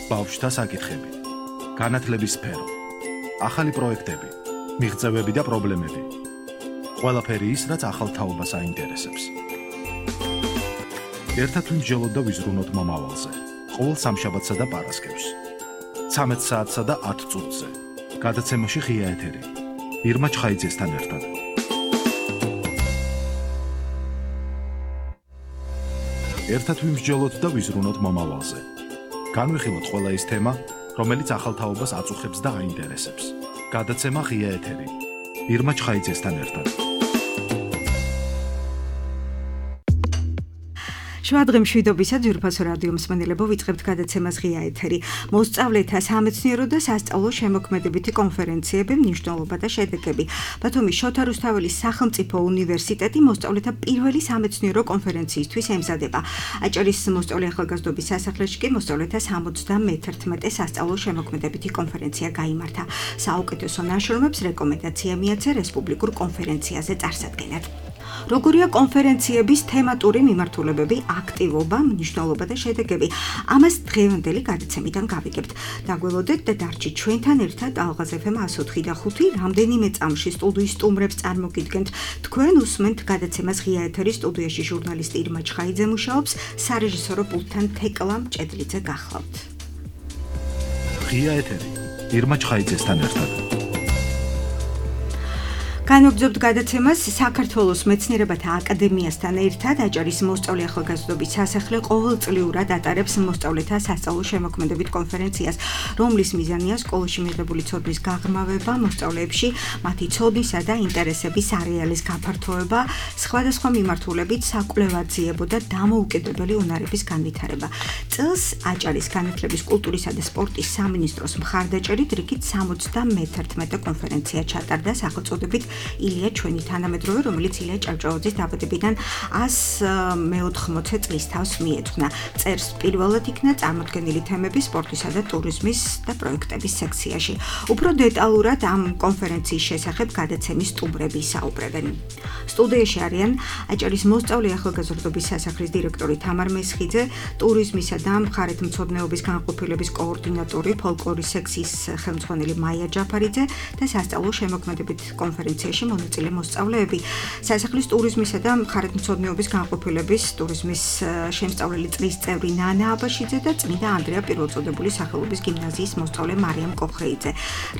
ბავშვთა საკითხები, განათლების სფერო, ახალი პროექტები, მიღწევები და პრობლემები. ყველაფერი ის, რაც ახალ თაობას აინტერესებს. ერთად ვიმსჯელოთ და ვიზრუნოთ მომავალზე. ყოველ სამშაბათსა და პარასკევს. 13 საათსა და 10 წუთზე. გადაცემაში ღია ეთერი. ირმა ჩხაიძესთან ერთად. ერთად ვიმსჯელოთ და ვიზრუნოთ მომავალზე. განვიხილოთ ყველა ის თემა, რომელიც ახალ თაობას აწუხებს და აინტერესებს. გადაცემა ღია ეთერი. ირმა ჩხაიძესთან ერთად. შუადღე მშვიდობისა ძვირფასო რადიო მსმენელებო, ვიწყებთ გადაცემას ღია ეთერი. მოსწავლეთა სამეცნიერო და სასწავლო შემოქმედებითი კონფერენციები, მნიშვნელობა და შედეგები. ბათუმის შოთა რუსთაველის სახელმწიფო უნივერსიტეტი მოსწავლეთა პირველი სამეცნიერო კონფერენციისთვის ემზადება. აჭარის მოსწავლე ახალგაზრდობის სასახლეში კი მოსწავლეთა 71 სასწავლო შემოქმედებითი კონფერენცია გაიმართა. საუკეთესო ნაშრომებს რეკომენდაცია მიაცა რესპუბლიკურ კონფერენციაზე წარსადგენად. როგორია კონფერენციების თემატური მიმართულებები, აქტივობა, მნიშვნელობა და შედეგები? ამას დღევანდელი გადაცემიდან გავიგებთ. დაგველოდეთ და დარჩით ჩვენთან ერთად ალღაზ FM 104.5 რამდენიმე წამში სტუდიის სტუმრებს წარმოგიდგენთ. თქვენ უსმენთ გადაცემას ღია ეთერის, სტუდიაში ჟურნალისტი ირმა ჩხაიძე მუშაობს, სარეჟისორო პულტთან თეკლა მჭედლიძე გახლავთ. ღია ეთერი. ირმა ჩხაიძესთან ერთად. განვაგრძობთ გადაცემას საქართველოს მეცნიერებათა აკადემიასთან ერთად. აჭარის მოსწავლე ახალგაზრდობის სასახლე ყოველწლიურად ატარებს მოსწავლეთა სასწავლო შემოქმედებით კონფერენციას, რომლის მიზანია სკოლაში მიღებული ცოდნის გაღრმავება, მოსწავლეებში მათი ცოდნისა და ინტერესების არეალის გაფართოება, სხვადასხვა მიმართულებით საკვლევაძიებო და დამოუკიდებელი უნარების განვითარება. წელს აჭარის განათლების, კულტურისა და სპორტის სამინისტროს მხარდაჭერით რიგით 71 კონფერენცია ჩატარდა სახელწოდებით ილია ჩვენი თანამედროვე, რომელიც ილია ჭავჭავაძის დაბადებიდან 180 წლის თავს მიეძღვნა. წერს პირველად იქნა წარმოდგენილი თემები სპორტისა და ტურიზმის და პროექტების სექციაში. უფრო დეტალურად ამ კონფერენციის შესახებ გადაცემის სტუმრები ისაუბრებენ. სტუდიაში არიან აჭარის მოსწავლე ახალგაზრდობის სასახლის დირექტორი თამარ მესხიძე, ტურიზმისა და მხარეთმცოდნეობის განყოფილების კოორდინატორი, ფოლკლორის სექციის ხელმძღვანელი მაია ჯაფარიძე და სასწავლო შემოქმედებით კონფერენციაში მონაწილე მოსწავლეები. სასახლის ტურიზმისა და მხარეთმცოდნეობის განყოფილების ტურიზმის შემსწავლელი წრის წევრი ნანა აბაშიძე და წმინდა ანდრია პირველწოდებული სახელობის გიმნაზიის მოსწავლე მარიამ კოხრეიძე.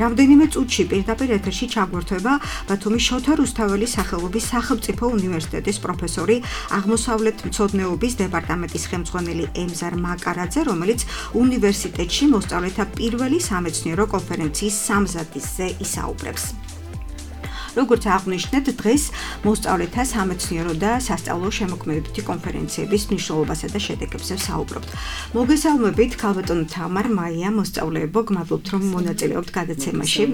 რამდენიმე წუთში პირდაპირ ეთერში ჩაგვერთვება ბათუმის შოთა რუსთაველის სახელობის სახელმწიფო უნივერსიტეტის პროფესორი, აღმოსავლეთმცოდნეობის დეპარტამენტის ხელმძღვანელი ემზარ მაკარაძე, რომელიც უნივერსიტეტში მოსწავლეთა პირველი სამეცნიერო კონფერენციის სამზადისზე ისაუბრებს. როგორც აღვნიშნეთ, დღეს მოსწავლეთა სამეცნიერო და სასწავლო შემოქმედებითი კონფერენციების მნიშვნელობასა და შედეგებზე ვსაუბრობთ. მოგესალმებით, ქალბატონო თამარ, მაია, მოსწავლეებო, გმადლობთ, რომ მონაწილეობთ გადაცემაში.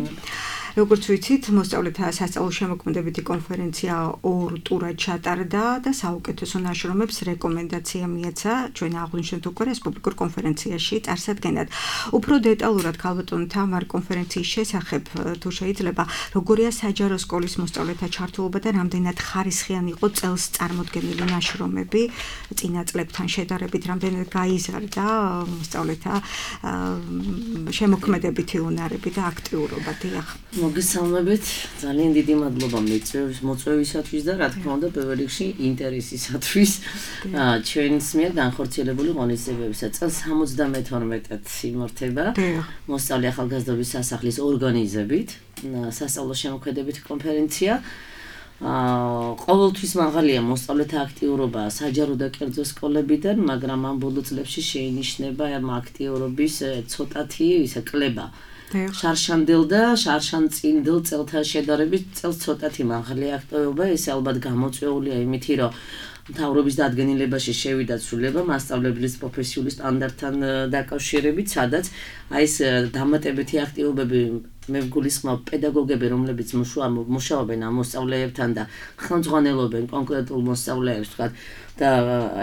როგორც ვიცით, მოსწავლეთა სასწავლო შემოქმედებითი კონფერენცია 2 ტურად ჩატარდა და საუკეთესო ნაშრომებს რეკომენდაცია მიაცა ჩვენ აღვნიშნეთ უკვე რესპუბლიკურ კონფერენციაში წარსადგენად. უფრო დეტალურად ქალბატონო თამარ, კონფერენციის შესახებ თუ შეიძლება, როგორია საჯარო სკოლის მოსწავლეთა ჩართულობა და რამდენად ხარისხიანი იყო წელს წარმოდგენილი ნაშრომები, წინა წლებთან შედარებით რამდენად გაიზარდა მოსწავლეთა შემოქმედებითი უნარები და აქტიურობა. დიახ. მოგესალმებით, ძალიან დიდი მადლობა მოწვევისათვის და რა თქმა უნდა პირველ რიგში ინტერესისათვის ჩვენს მიერ განხორციელებული ღონისძიებებისა. წელს 72-ად იმართება მოსწავლე ახალგაზრდობის სასახლის ორგანიზებით სასწავლო შემოქმედებითი კონფერენცია. ყოველთვის მაღალია მოსწავლეთა აქტიურობა საჯარო და კერძო სკოლებიდან, მაგრამ ამ ბოლო წლებში შეინიშნება ამ აქტიურობის ცოტათი ისე კლება. შარშანდელ და შარშანწინდელ წელთან შედარებით წელს ცოტათი მაღალი აქტიურობა, ეს ალბათ გამოწვეულია იმითი, რომ მთავრობის დადგენილებაში შევიდა ცვლილება მასწავლებლის პროფესიული სტანდარტთან დაკავშირებით, სადაც აი ეს დამატებითი აქტიურობები მე ვგულისხმობ პედაგოგები, რომლებიც მუშაობენ ამ მოსწავლეებთან და ხელმძღვანელობენ კონკრეტულ მოსწავლეებს, თქვათ, და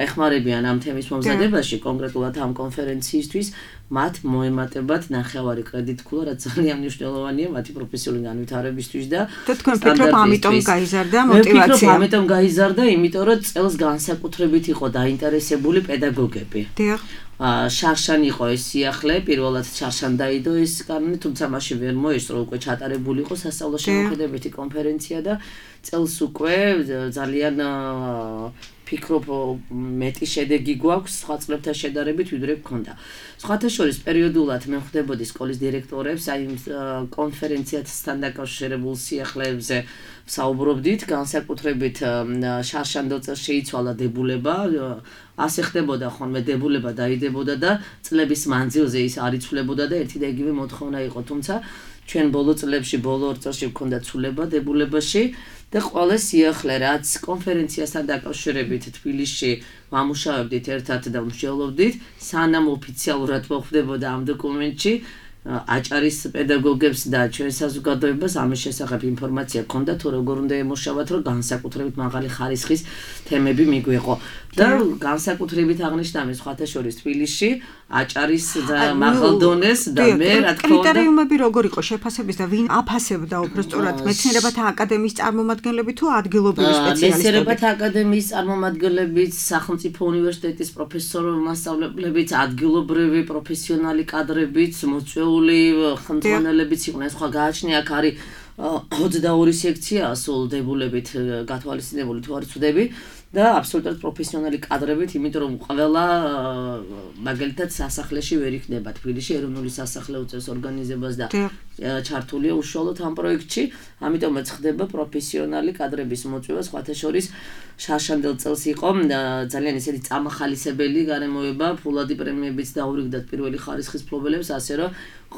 ეხმარებიან ამ თემის მომზადებაში, კონკრეტულად ამ კონფერენციისთვის, მათ მოემატებათ ნახევარი კრედიტქულა, რაც ძალიან მნიშვნელოვანია მათი პროფესიული განვითარებისთვის და თქვენ ფიქრობ, ამიტომ გაიზარდა მოტივაცია? მე ვფიქრობ, ამიტომ გაიზარდა, იმიტომ რომ წელს განსაკუთრებით იყო დაინტერესებული პედაგოგები. შარშან იყო ეს სიახლე, პირველად შარშან დაიდო ეს კანონი, თუმცა მაშინ ვერ მოესწრო, უკვე ჩატარებული იყო სასწავლო შემოქმედებითი კონფერენცია და წელს უკვე ძალიან ფიქრობ მეტი შედეგი გვაქვს სხვა წლებთან შედარებით, ვიდრე გქონდა. სხვათა შორის პერიოდულად მე ხვდებოდი სკოლის დირექტორებს, აი კონფერენციასთან დაკავშირებულ სიახლეებზე საუბრობდით, განსაკუთრებით შარშანდელ წელს შეიცვალა დებულება, ასე ხდებოდა ხოლმე დებულება დაიდებოდა და წლების მანძილზე ის არ იცვლებოდა და ერთი და იგივე მოთხოვნა იყო, თუმცა ჩვენ ბოლო წლებში, ბოლო 2 წელში გვქონდა ცვლილება დებულებაში და ყველა სიახლე რაც კონფერენციასთან დაკავშირებით თბილისში ვამუშავებდით ერთად და ვმსჯელობდით, სანამ ოფიციალურად მოხვდებოდა ამ დოკუმენტში აჭარის პედაგოგებს და ჩვენ საზოგადოებას ამის შესახებ ინფორმაცია ჰქონდა თუ როგორ უნდა ემუშავათ, რომ განსაკუთრებით მაღალი ხარისხის თემები მიგვეყო. და განსაკუთრებით აღნიშნა მე სხვათა შორის თბილისში აჭარის და მაღალ დონეს და მე რა თქმა უნდა კრიტერიუმები როგორ იყო შეფასების და ვინ აფასებდა უბრალოდ მეცნიერებათა აკადემიის წარმომადგენლები თუ ადგილობრივი სპეციალისტები? მეცნიერებათა აკადემიის წარმომადგენლებიც, სახელმწიფო უნივერსიტეტის პროფესორ-მასწავლებლებიც, ადგილობრივი პროფესიონალი კადრებიც, მოწვეული ხელმძღვანელებიც იყვნენ. სხვა გააჩნია აქ არის 22 სექცია სულ დებულებით გათვალისწინებული თუ არ ვცდები და აბსოლუტურად პროფესიონალი კადრებით, იმიტომ რომ ყველა მაგალითად სასახლეში ვერ იქნება თბილისში ეროვნული სასახლე უწევს ორგანიზებას და ჩართულია უშუალოდ ამ პროექტში, ამიტომაც ხდება პროფესიონალი კადრების მოწვევა, სხვათა შორის შარშანდელ წელს იყო ძალიან ისეთი წამახალისებელი გარემოება, ფულადი პრემიებიც დაურიგდათ პირველი ხარისხის მფლობელებს, ასე რომ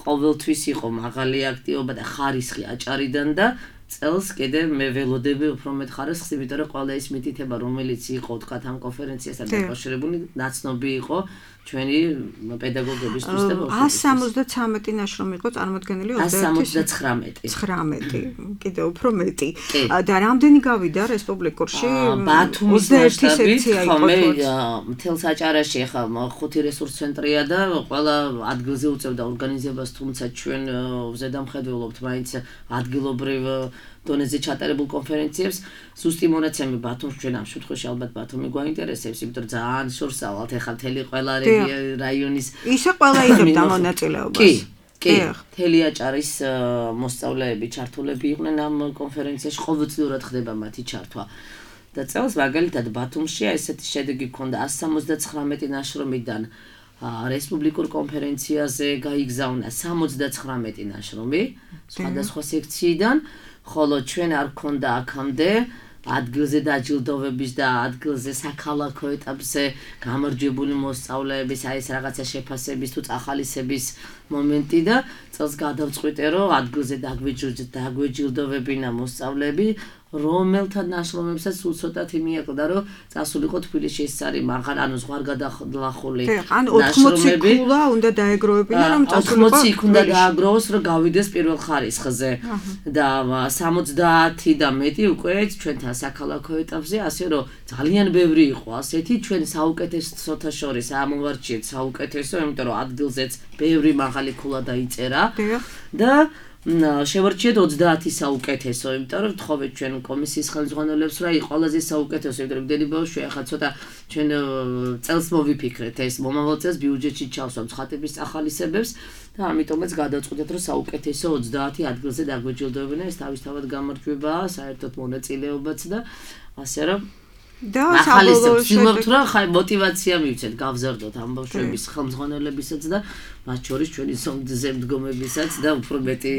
ყოველთვის იყო მაღალი აქტივობა და ხარისხი აჭარიდან და წელს კიდე მე ველოდები უფრო მეტ ხარისხს, იმიტომ რომ ყველა ის მითითება, რომელიც იყო თქვათ ამ კონფერენციასთან დაკავშირებული, ნაცნობი იყო ჩვენი პედაგოგებისთვის და 173 ნაშრომი იყო წარმოდგენილი 179 კიდე უფრო მეტი და რამდენი გავიდა რესპუბლიკურში? ბათუმის მასშტაბით ხომ მთელს აჭარაში ხა 5 რესურს ცენტრია და ყველა ადგილზე უწევდა ორგანიზებას, თუმცა ჩვენ ზედამხედველობთ მაინც ადგილობრივ დონეზე ჩატარებულ კონფერენციებს. ზუსტი მონაცემი ბათუმში ჩვენ ამ შემთხვევაში ალბათ ბათუმი გვაინტერესებს, იმიტომ რომ ძალიან შორსავალთ ეხლა მთელი ყველა რაიონის ისე ყველა იღებდა მონაწილეობას. კი, მთელი აჭარის მოსწავლეები, ჩართულები იყვნენ ამ კონფერენციაში, ყოველწლიურად ხდება მათი ჩართვა. და წელს მაგალითად ბათუმში ესეთი შედეგი ჰქონდა 179 ნაშრომიდან რესპუბლიკურ კონფერენციაზე გაიგზავნა 79 ნაშრომი სხვადასხვა სექციიდან, ხოლო ჩვენ არ გქონდა აქამდე ადგილზე დაჯილდოვების და ადგილზე საქალაქო ეტაპზე გამარჯვებული მოსწავლეების აი ეს რაღაცა შეფასების თუ წახალისების მომენტი და წელს გადავწყვიტე, რომ ადგილზე დაგვეჯილდოვებინა მოსწავლეები, რომელთა ნაშრომებსაც სულ ცოტათი მიაკლდა, რომ წასულიყო თბილისში. ეს არის მაღალ, ანუ ზღვარგადახლული ნაშრომები. 80 ქულა უნდა დაეგროვებინა, რომ წასულიყო. 80 იქ უნდა დააგროვოს, რომ გავიდეს პირველ ხარისხზე და 70 და მეტი უკვე ჩვენთან საქალაქო ეტაპზე, ასე რომ ძალიან ბევრი იყო ასეთი, ჩვენ საუკეთესოთა შორის ამოვარჩიეთ საუკეთესო, იმიტომ რომ ადგილზეც ბევრი მაღალი ქულა დაიწერა და შევარჩიეთ 30 საუკეთესო, იმიტომ რომ თხოვეთ ჩვენ კომისიის ხელმძღვანელებს, რა იყო ყველაზე საუკეთესო, იმიტომ რომ მდენი ბავშვი ახლა ცოტა ჩვენ წელს მოვიფიქრეთ ეს მომავალ წელს ბიუჯეტში ჩავსვამ ცხადების წახალისებებს და ამიტომაც გადავწყვიტეთ, რომ საუკეთესო 30 ადგილზე დაგვეჯილდოვებინა, ეს თავისთავად გამარჯვებაა, საერთოდ მონაწილეობაც და ასე რომ და საბოლოოდ რა ხაი мотиваცია მივცეთ გავზარდოთ ამ ბავშვების ხელმძღვანელებისაც და მათ შორის ჩვენი ზემდგომებისაც და უფრო მეტი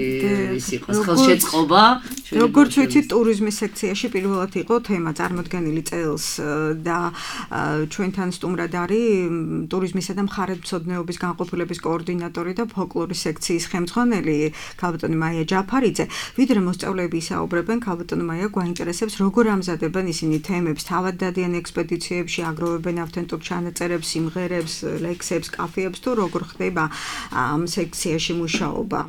ის იყოს ხელშეწყობა. როგორც ვიცით, ტურიზმის სექციაში პირველად იყო თემა წარმოდგენილი წელს და ჩვენთან სტუმრად არის ტურიზმისა და მხარეთმცოდნეობის განყოფილების კოორდინატორი და ფოლკლორის სექციის ხელმძღვანელი ქალბატონი მაია ჯაფარიძე. ვიდრე მოსწავლეები ისაუბრებენ, ქალბატონი მაია გვაინტერესებს, როგორ ამზადებენ ისინი თემებს, თავად დადიან ექსპედიციებში, აგროვებენ ავთენტურ ჩანაწერებს, სიმღერებს, ლექსებს, კაფეებს თუ როგორ ხდება ამ სექციაში მუშაობა?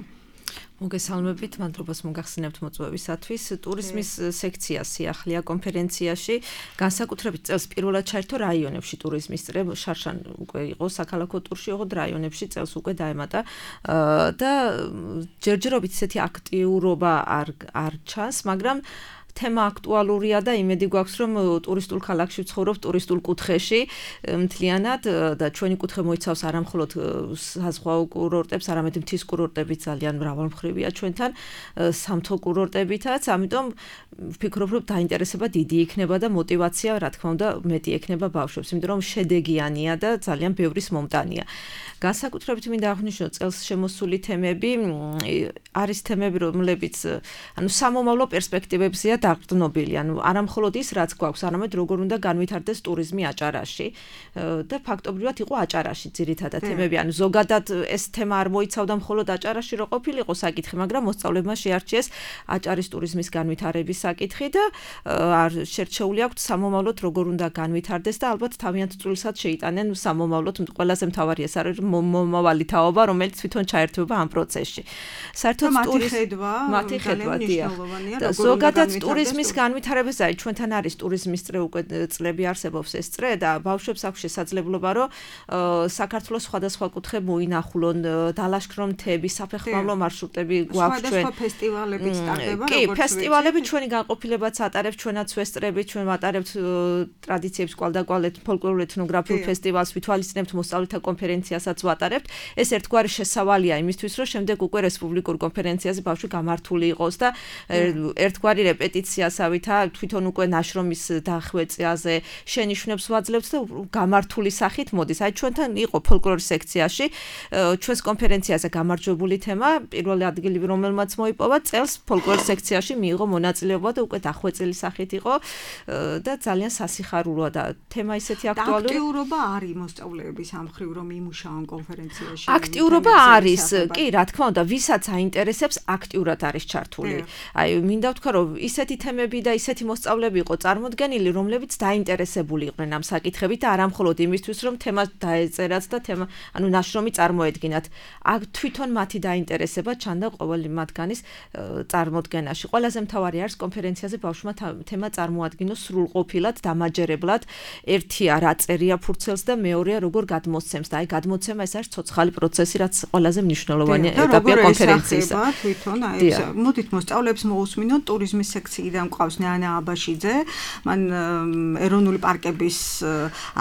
მოგესალმებით, მადლობას მოგახსენებთ მოწვევისათვის. ტურიზმის სექცია სიახლეა კონფერენციაში, განსაკუთრებით წელს პირველად ჩაერთო რაიონებში ტურიზმის წრე, შარშან უკვე იყო საქალაქო ტურში, ოღონდ რაიონებში წელს უკვე დაემატა და ჯერჯერობით ისეთი აქტიურობა არ ჩანს, მაგრამ თემა აქტუალურია და იმედი გვაქვს რომ ტურისტულ ქალაქში ვცხოვრობ ტურისტულ კუთხეში მთლიანად და ჩვენი კუთხე მოიცავს არა მხოლოდ საზღვაო კურორტებს, არამედ მთის კურორტები ძალიან მრავალმხრივია ჩვენთან, სამთო კურორტებითაც, ამიტომ ვფიქრობ რომ დაინტერესება დიდი იქნება და мотиваცია რა თქმა უნდა მეტი ექნება ბავშვებს, იმიტომ რომ შედეგიანია და ძალიან ბევრის მომტანია. განსაკუთრებით მინდა აღვნიშნო წელს შემოსული თემები არის თემები რომლებიც სამომავლო პერსპექტივებზეა დაყრდნობილი, არა მხოლოდ ის რაც გვაქვს, არამედ როგორ უნდა განვითარდეს ტურიზმი აჭარაში და ფაქტობრივად იყო აჭარაში ძირითადად თემები, ზოგადად ეს თემა არ მოიცავდა მხოლოდ აჭარაში რო ყოფილიყო საკითხი, მაგრამ მოსწავლეებმა შეარჩიეს აჭარის ტურიზმის განვითარების საკითხი და შერჩეული აქვთ სამომავლოდ როგორ უნდა განვითარდეს და ალბათ თავიანთ წვლილსაც შეიტანენ სამომავლოდ, ყველაზე მთავარი ეს არის მომავალი თაობა, რომელიც თვითონ ჩაერთვება ამ პროცესში. საერთოდ მათი ხედვა და ზოგადად ტურიზმის განვითარებაზე ჩვენთან არის ტურიზმის წრე უკვე წლები არსებობს ეს წრე და ბავშვებს აქვს შესაძლებლობა რომ საქართველოს სხვადასხვა კუთხე მოინახულონ, დალაშქრონ მთები, საფეხმავლო მარშრუტები გვაქვს ჩვენ. სხვადასხვა ფესტივალებიც ტარდება, კი, ფესტივალები ჩვენი განყოფილებაც ატარებს, ჩვენაც ვესწრებით, ჩვენ ვატარებთ ტრადიციებს კვალდაკვალეთ ფოლკლორულ ეთნოგრაფიულ ფესტივალს, ვითვალისწინებთ მოსწავლეთა კონფერენციასაც ვატარებთ. ეს ერთგვარი შესავალია იმისთვის, რომ შემდეგ უკვე რესპუბლიკურ კონფერენციაზე ბავშვი გამართული იყოს და ერთგვარი რეპეტიციასავითა თვითონ უკვე ნაშრომის დახვეწაზე შენიშვნებს ვაძლევთ და გამართული სახით მოდის. აი ჩვენთან იყო ფოლკლორის სექციაში ჩვენს კონფერენციაზე გამარჯვებული თემა, პირველი ადგილი რომელმაც მოიპოვა წელს ფოლკლორის სექციაში მიიღო მონაწილეობა და უკვე დახვეწილი სახით იყო და ძალიან სასიხარულოა და თემა ისეთი აქტუალური. აქტიურობა არის მოსწავლეების ამ მხრივ რომ იმუშაონ კონფერენციაში. აქტიურობა არის, კი, რა თქმა უნდა, ვისაც აინტერესებს, აქტიურად არის ჩართული. აი, მინდა ვთქვა, რომ ისეთი თემები და ისეთი მოსწავლეები იყო წარმოდგენილი, რომლებიც დაინტერესებული იყვნენ ამ საკითხებით და არა მხოლოდ იმისთვის, რომ თემა დაეწერათ და თემა, ნაშრომი წარმოედგინათ. თვითონ მათი დაინტერესება ჩანდა ყოველი მათგანის წარმოდგენაში. ყველაზე მთავარი არის კონფერენციაზე ბავშვმა თემა წარმოადგინოს სრულყოფილად, დამაჯერებლად. ერთია რა წერია ფურცელს და მეორეა როგორ გადმოსცემს და აი გადმოცემა ეს არის ცოცხალი პროცესი, რაც ყველაზე მნიშვნელოვანი ეტაპია კონფერენციისა. თვითონ აი მოდით მოსწავლეებს მოусმინოთ ტურიზმის სექციიდან მყავს ნანა აბაშიძე, მან ეროვნული პარკების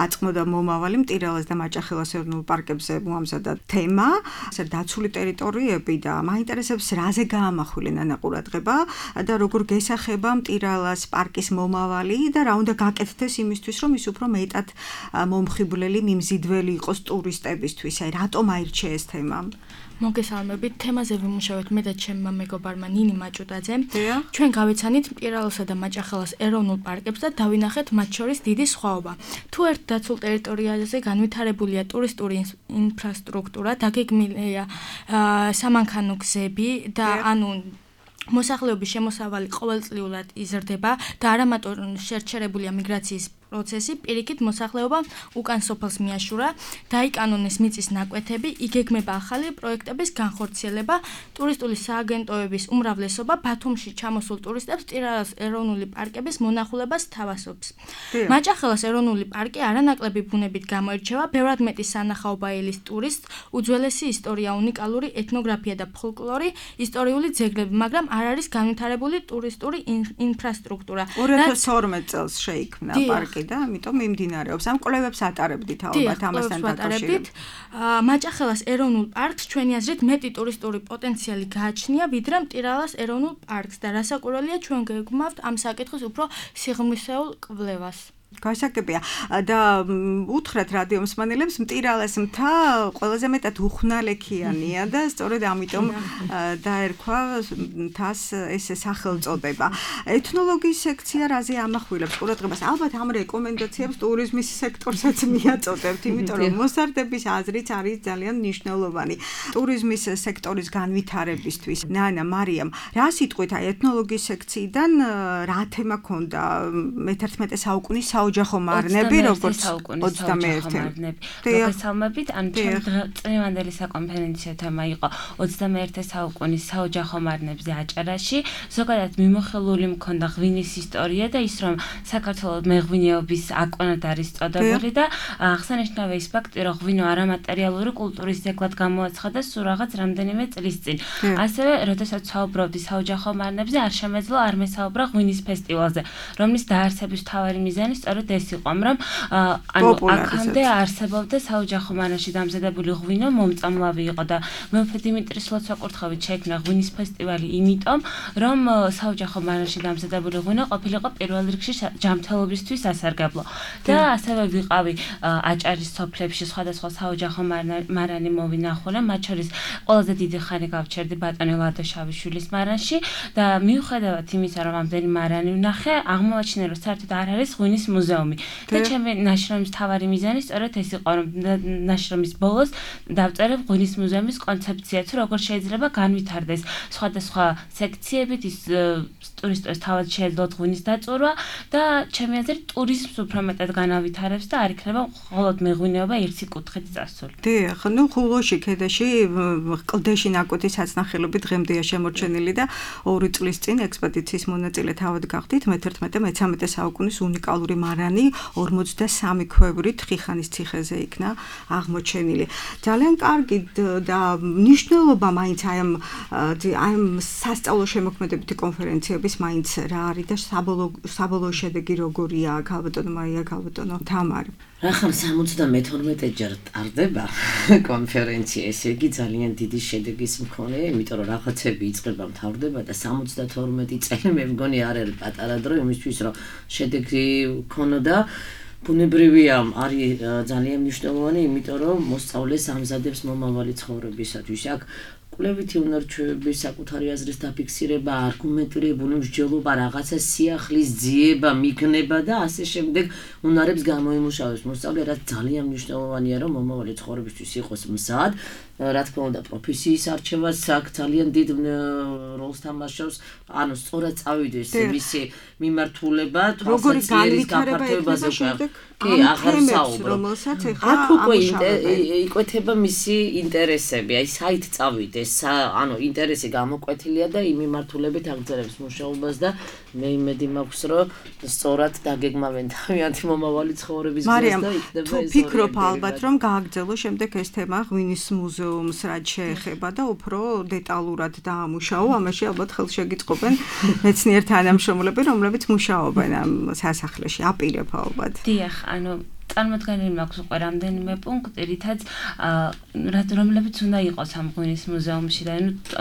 აწმო და მომავალი მტირალას და მაჭახელას ეროვნულ პარკებზე მოამზადა თემა, ასე დაცული ტერიტორიები და მაინტერესებს რაზე გაამახვილე ნანა ყურადღება და როგორ გესახება მტირალას პარკის მომავალი და რა უნდა გაკეთდეს იმისთვის, რომ ის უფრო მეტად მომხიბვლელი, მიმზიდველი იყოს ტურისტებისთვის. აი რატომ აირჩია ეს თემა? მოგესალმებით, თემაზე ვიმუშავეთ მე და ჩემმა მეგობარმა ნინი მაჭუტაძემ. ჩვენ გავეცანით მტირალოსა და მაჭახელას ეროვნულ პარკებს და დავინახეთ მათ შორის დიდი სხვაობა. თუ ერთ დაცულ ტერიტორიაზე განვითარებულია ტურისტული ინფრასტრუქტურა, დაგეგმილია სამანქანო გზები და მოსახლეობის შემოსავალი ყოველწლიურად იზრდება და არამატო შერჩერებულია მიგრაციის პროცესი, პირიქით მოსახლეობა უკან სოფელს მიაშურა, დაიკანონეს მიწის ნაკვეთები, იგეგმება ახალი პროექტების განხორციელება, ტურისტული სააგენტოების უმრავლესობა ბათუმში ჩამოსულ ტურისტებს მტირალოს ეროვნული პარკების მონახულებას თავასობს. მაჭახელას ეროვნული პარკი არანაკლები ბუნებით გამოირჩევა, ბევრად მეტი სანახაობაელის ტურისტ, უძველესი ისტორია, უნიკალური ეთნოგრაფია და ფოლკლორი, ისტორიული ძეგლები, მაგრამ არ არის განვითარებული ტურისტული ინფრასტრუქტურა. 2012 წელს შეიქმნა პარკი და ამიტომ მიმდინარეობს. ამ კვლევებს ატარებდით ალბათ ამასთან დაკავშირებით. მაჭახელას ეროვნულ პარკს ჩვენი აზრით მეტი ტურისტული პოტენციალი გააჩნია, ვიდრე მტირალას ეროვნულ პარკს და რასაკვირველია ჩვენ გეგმავთ ამ საკითხის უფრო სიღრმისეულ კვლევას. გასაგებია და უთხრათ რადიო მსმენელებს მტირალას მთა ყველაზე მეტად უხნალექიანია და სწორედ ამიტომ დაერქვა მთას ეს სახელწოდება. ეთნოლოგიის სექცია რაზე ამახვილებს ყურადღებას? ალბათ ამ რეკომენდაციებს ტურიზმის სექტორსაც მიაწოდებთ, იმიტომ რომ მოსარდების აზრიც არის ძალიან მნიშვნელოვანი ტურიზმის სექტორის განვითარებისთვის. ნანა, მარიამ, რა სიტყვით აი ეთნოლოგიის სექციიდან რა თემა ქონდა მე-11 საუკუნის საოჯახო მარნები როგორც 21 მოგესალმებით, ან წლევანდელი საკონფერენციო თემა იყო 21 საუკუნის საოჯახო მარნებზე აჭარაში. ზოგადად მიმოხილული მქონდა ღვინის ისტორია და ის რომ საქართველოს მეღვინეობის აკონად არის წოდებული და აღსანიშნავია ის ფაქტი, რომ ღვინო არამატერიალური კულტურის ძეგლად გამოაცხადა სულ რაღაც რამდენიმე წლის წინ. ასევე, როდესაც საუბრობდი საოჯახო მარნებზე, არ შემეძლო არ მესაუბრა ღვინის ფესტივალზე, რომლის დაარსების მთავარი მიზანი სწორედ ეს იყო, რომ აქამდე არსებობდა საოჯახო მარნაში დამზადებული ღვინო მომწამლავი იყო და მეუფე დიმიტრის ლოცვა-კურთხევით შეიქმნა ღვინის ფესტივალი იმიტომ, რომ საოჯახო მარნაში დამზადებული ღვინო ყოფილიყო პირველ რიგში ჯანმრთელობისთვის სასარგებლო. და ასევე ვიყავი აჭარის სოფლებში სხვადასხვა საოჯახო მარანი მოვინახულე, მათ შორის ყველაზე დიდი ხანი გავჩერდი ბატონი ლადო შავიშვილის მარანში და მიუხედავად იმისა, რომ ამდენი მარანი ვნახე, აღმოაჩინე, რომ საერთოდ არ არის ღვინის მუზეუმი. და ჩემი ნაშრომის მთავარი მიზანი სწორედ ეს იყო, რომ ნაშრომის ბოლოს დავწერებ ღვინის მუზეუმის კონცეფციაც, როგორ შეიძლება განვითარდეს სხვადასხვა სექციებით ის ტურისტებს თავად შეეძლოთ ღვინის დაწურვა და ჩემი აზრით ტურიზმს უფრო მეტად განავითარებს და არ იქნება მხოლოდ მეღვინეობა ერთი კუთხით წასული. დიახ, ხულოში ქედაში კლდეში ნაკვეთი საცნახელები დღემდეა შემორჩენილი და 2 წლის წინ ექსპედიციის მონაწილე თავად გახდით მე-11-13 საუკუნის უნიკალური მარანი 43 ქვევრით ხიხანის ციხეზე იქნა აღმოჩენილი. ძალიან კარგი და მნიშვნელობა მაინც აი ამ სასწავლო შემოქმედებითი კონფერენციების მაინც რა არის და საბოლოო შედეგი როგორია, ქალბატონო მაია, ქალბატონო თამარ. რახან 72 ჯერ ტარდება კონფერენცია, ესე იგი ძალიან დიდი შედეგის მქონე, იმიტომ რომ რაღაცები იწყება, მთავრდება და 72 წელი მე მგონი არ არის პატარა დრო იმისთვის, რომ შედეგი ქონოდა. ბუნებრივია, არის ძალიან მნიშვნელოვანი, იმიტომ რომ მოსწავლეს ამზადებს მომავალი ცხოვრებისათვის. აქ კვლევითი უნარჩვევების საკუთარი აზრის დაფიქსირება, არგუმენტირებული მსჯელობა, რაღაცა სიახლის ძიება, მიგნება და ასე შემდეგ უნარებს გამოიმუშავებს მოსწავლე, რაც ძალიან მნიშვნელოვანია, რომ მომავალი ცხოვრებისთვის იყოს მზად. რა თქმა უნდა, პროფესიის არჩევას აქ ძალიან დიდ როლს თამაშობს, ანუ სწორად წავიდეს მისი მიმართულება, თვალსაჩინო გაფართოებაზე უკვე. კი, აღარ საუბრო. აქ უკვე იკვეთება მისი ინტერესები, აი საით წავიდეს, ანუ ინტერესი გამოკვეთილია და იმ მიმართულებით აგრძელებს მუშაობას და მე იმედი მაქვს, რომ სწორად დაგეგმავენ თავიანთი მომავალი ცხოვრების გზას და იქნება ეს. თუ ფიქრობ ალბათ, რომ გააგრძელო შემდეგ ეს თემა ღვინის მუზეუმს რაც შეეხება და უფრო დეტალურად დაამუშაო, ამაში ალბათ ხელს შეგიწყობენ მეცნიერ თანამშრომლები, რომლებიც მუშაობენ ამ სასახლეში, აპირებ ალბათ. დიახ, ანუ წარმოდგენილი მაქვს უკვე რამდენიმე პუნქტი, რითაც რომლებიც უნდა იყოს ამ ღვინის მუზეუმში და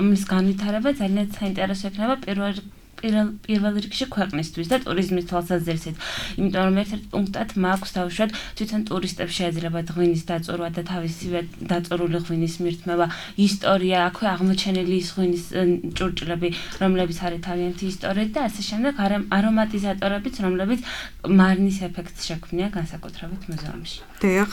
მის განვითარება ძალიან საინტერესო იქნება პირველ რიგში ქვეყნისთვის და ტურიზმის თვალსაზრისით. იმიტომ რომ ერთ-ერთ პუნქტად მაქვს დავუშვათ თვითონ ტურისტებს შეეძლებათ ღვინის დაწურვა და თავისივე დაწურული ღვინის მირთმევა, ისტორია, აქვე აღმოჩენილი ის ღვინის ჭურჭლები, რომლებიც არის თავიანთი ისტორიით და ასე შემდეგ არომატიზატორებიც, რომლებიც მარნის ეფექტს შექმნია განსაკუთრებით მუზეუმში. დიახ.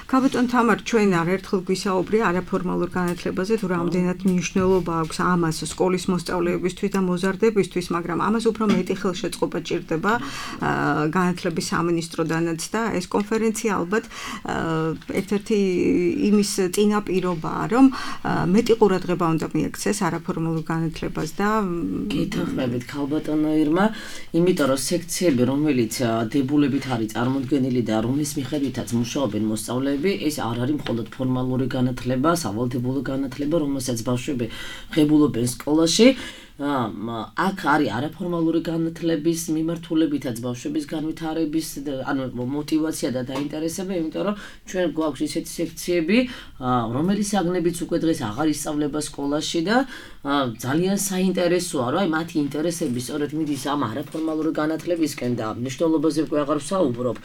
ქალბატონ თამარ, ჩვენ არაერთხელ გვისაუბრია არაფორმალურ განათლებაზე, თუ რამდენად მნიშვნელობა აქვს ამას სკოლის მოსწავლეებისთვის და მოზარდებისთვის, მაგრამ ამას უფრო მეტი ხელშეწყობა ჭირდება განათლების სამინისტროდანაც და ეს კონფერენცია ალბათ ერთ-ერთი იმის წინაპირობაა, რომ მეტი ყურადღება უნდა მიექცეს არაფორმალურ განათლებას და გითხრებით ქალბატონო ირმა, იმიტომ რომ სექციები, რომელიც დებულებით არის წარმოდგენილი და რომლის მიხედვითაც მუშაობენ მოსწავლეები, ეს არ არის მხოლოდ ფორმალური განათლება, სავალდებულო განათლება, რომელსაც ბავშვები ღებულობენ სკოლაში. აქ არის არაფორმალური განათლების მიმართულებითაც ბავშვების განვითარების, ანუ мотиваცია და დაინტერესება, იმიტომ რომ ჩვენ გვაქვს ისეთი სექციები, რომელიც საგნებიც უკვე დღეს აღარ ისწავლება სკოლაში და ძალიან საინტერესოა, რომ აი მათი ინტერესები სწორედ მიდის ამ არაფორმალური განათლებისკენ და მნიშვნელობაზე უკვე აღარ ვსაუბრობ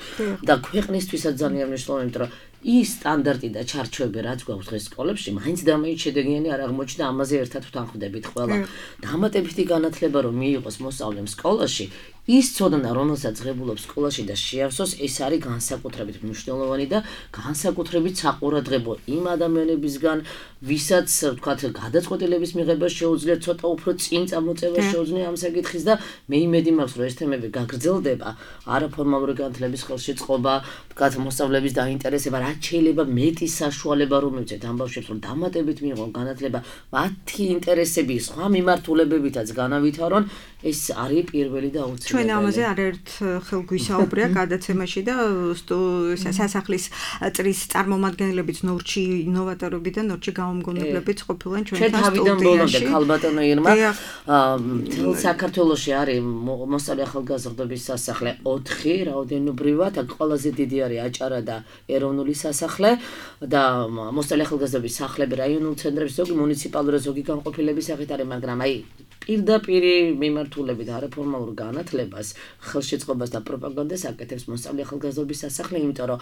და ქვეყნისთვისაც ძალიან მნიშვნელოვანი, იმიტომ რომ ის სტანდარტი და ჩარჩოები, რაც გვაქვს დღეს სკოლებში, მაინც და მაინც შედეგიანი არ აღმოჩნდა, ამაზე ერთად ვთანხმდებით ყველა. დამატებითი განათლება რომ მიიღოს მოსწავლემ სკოლაში, ის ცოდნა, რომელსაც ღებულობს სკოლაში და შეავსოს, ეს არის განსაკუთრებით მნიშვნელოვანი და განსაკუთრებით საყურადღებო იმ ადამიანებისგან, ვისაც ვთქვათ, გადაწყვეტილების მიღება შეუძლია, ცოტა უფრო წინ წამოწევა შეუძლია ამ საკითხის და მე იმედი მაქვს, რომ ეს თემები გაგრძელდება, არაფორმალური განათლების ხელში წყობა, ვთქვათ, მოსწავლეების დაინტერესება, რაც შეიძლება მეტი საშუალება რომ მივცეთ ამ ბავშვებს, რომ დამატებით მიიღონ განათლება, მათი ინტერესები სხვა მიმართულებებითაც განავითარონ, ეს არის პირველი და აუცილებელი. ჩვენ ამაზე არაერთ ხელ გვისაუბრია გადაცემაში და სასახლის წრის წარმომადგენლებიც ნორჩი ინოვატორები და ნორჩი გამომგონებლებიც ყოფილან ჩვენთან სტუდიაში. თავიდან ბოლომდე ქალბატონო ირმა მთელ საქართველოში არის მოსწავლე ახალგაზრდობის სასახლე 4 რაოდენობრივად, აქ ყველაზე დიდი არის აჭარა და ეროვნული სასახლე და მოსწავლე ახალგაზრდობის სახლები რაიონულ ცენტრებში ზოგი მუნიციპალური ზოგი განყოფილების სახით არის, მაგრამ აი პირდაპირი მიმართულებით არაფორმალურ განათლებას, ხელშეწყობას და პროპაგანდას აკეთებს მოსწავლე ახალგაზრდობის სასახლე, იმიტომ რომ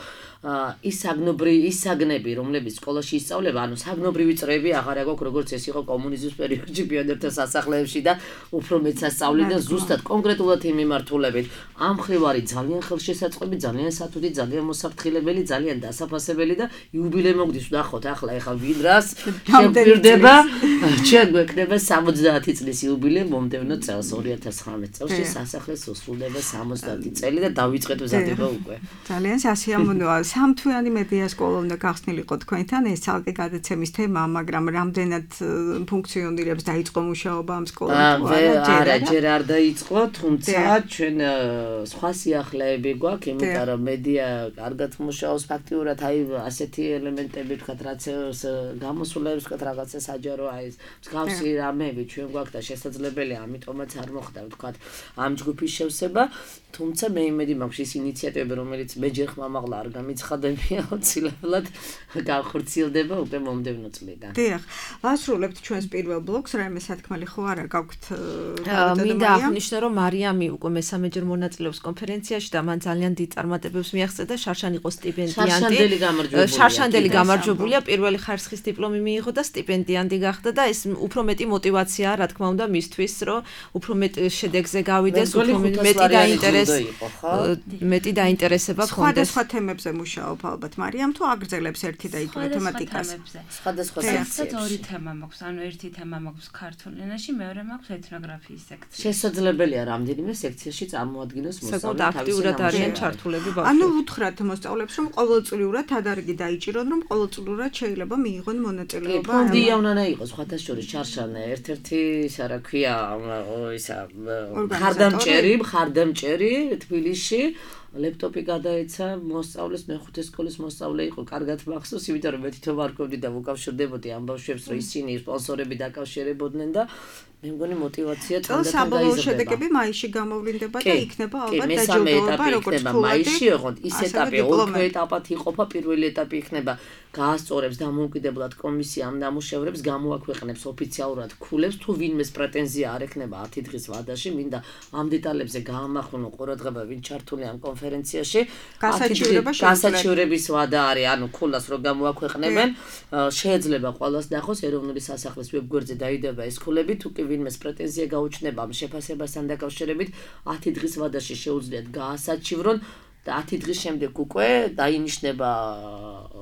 ის საგნები, რომლებიც სკოლაში ისწავლება, ანუ საგნობრივი წრეები აღარ აქვს, როგორც ეს იყო კომუნიზმის პერიოდში პიონერთა სასახლეებში და უფრო მეც ასწავლიდან ზუსტად კონკრეტულად იმ მიმართულებით. ამ მხრივ არის ძალიან ხელშესაწყობი, ძალიან სათუთი, ძალიან მოსაფრთხილებელი, ძალიან დასაფასებელი და იუბილე მოგდის ვნახოთ ახლა ვიდრას შეგვირდება, ჩვენ გვექნება 70 წლის იუბილე მომდევნო წელს 2019 წელს სასახლეს უსრულდება 70 წელი და დავიწყეთ მზადება უკვე. ძალიან სასიამოვნოა. სამთვიანი მედია სკოლა უნდა გახსნილიყო თქვენთან, ეს ცალკე გადაცემის თემაა, მაგრამ რამდენად ფუნქციონირებს დაიწყო მუშაობა ამ სკოლაში? არა, ჯერ არ დაიწყო, თუმცა ჩვენ სხვა სიახლეები გვაქვს, იმიტომ რომ მედია კარგად მუშაობს ფაქტიურად, აი ასეთი ელემენტები ვთქვათ, რაც გამოსულებს ვთქვათ, რაღაცა საჯარო აი ეს მსგავსი რამეები ჩვენ გვაქვს და შესაძლებელია, ამიტომაც არ მოხდა ვთქვათ ამ ჯგუფის შევსება, თუმცა მე იმედი მაქვს ის ინიციატივები, რომელიც მე ჯერ ხმამაღლა არ გამიცხადებია, აუცილებლად გავხორციელდება უკვე მომდევნო წლიდან. დიახ, ვასრულებთ ჩვენს პირველ ბლოკს, რაიმე სათქმელი ხო არა გაქვთ? მინდა აღნიშნო, რომ მარიამი უკვე მესამეჯერ მონაწილეობს კონფერენციაში და მან ძალიან დიდ წარმატებებს მიაღწია და შარშან იყო სტიპენდიანტი. შარშანდელი გამარჯვებულია, პირველი ხარისხის დიპლომი მიიღო და სტიპენდიანტი გახდა და ეს უფრო მეტი мотиваციაა, რა თქმა უნდა, მისთვის, რომ უფრო მეტ შედეგზე გავიდეს, უფრო მეტი დაინტერესება ქონდეს. სხვადასხვა თემებზე მუშაობ ალბათ მარიამ, თუ აგრძელებს ერთი და იგივე თემატიკას? სხვადასხვა თემებზე. ორი თემა მაქვს, ანუ ერთი თემა მაქვს ქართულ ენაში, მეორე მაქვს ეთნოგრაფიის სექცია. შესაძლებელია რამდენიმე სექციაში წარმოადგინოს მოსწავლე აქტიურად არიან ჩართულები ბავშვები. ანუ უთხრათ მოსწავლებს, რომ ყოველწლიურად თადარიგი დაიჭირონ, რომ ყოველწლიურად შეიძლება მიიღონ მონაწილეობა. ფონდია უნდა იყოს სხვათა შორის ჩარშანა ერთ-ერთი რა ქვია ისა ხარდამჭერი თბილისში ლეპტოპი გადაეცა მოსწავლეს, მეხუთე სკოლის მოსწავლე იყო, კარგად მახსოვს, იმიტომ რომ მე თვითონ ვარკვევდი და ვუკავშირდებოდი ამ ბავშვებს, რომ ისინი სპონსორები დაკავშირებოდნენ და მე მგონი мотиваცია თანდათან გაიზრდება. შედეგები მაისში გამოვლინდება და იქნება ალბათ დაჯილდოება, როგორც თქვა. მაისში ოღონდ ის ეტაპი, ოქრო ეტაპად იყოფა, პირველი ეტაპი იქნება გაასწორებს დამოუკიდებლად კომისია ამ ნამუშევრებს, გამოაქვეყნებს ოფიციალურად ქულებს, თუ ვინმეს პრეტენზია არ ექნება 10 დღის ვადაში, მინდა ამ დეტალებზე გაამახვილო ყურადღება, ვინ ჩართულია ამ კონფერენციაში. გასაჩივრების ვადა არის, ანუ ქულას რო გამოაქვეყნებენ, შეიძლება ყველას ნახოს ეროვნული სასახლის ვებგვერდზე დაიდება ეს ქულები, თუ კი ვინმეს პრეტენზია გაუჩნდება ამ შეფასებასთან დაკავშირებით, 10 დღის ვადაში შეუძლიათ გაასაჩივრონ და 10 დღის შემდეგ უკვე დაინიშნება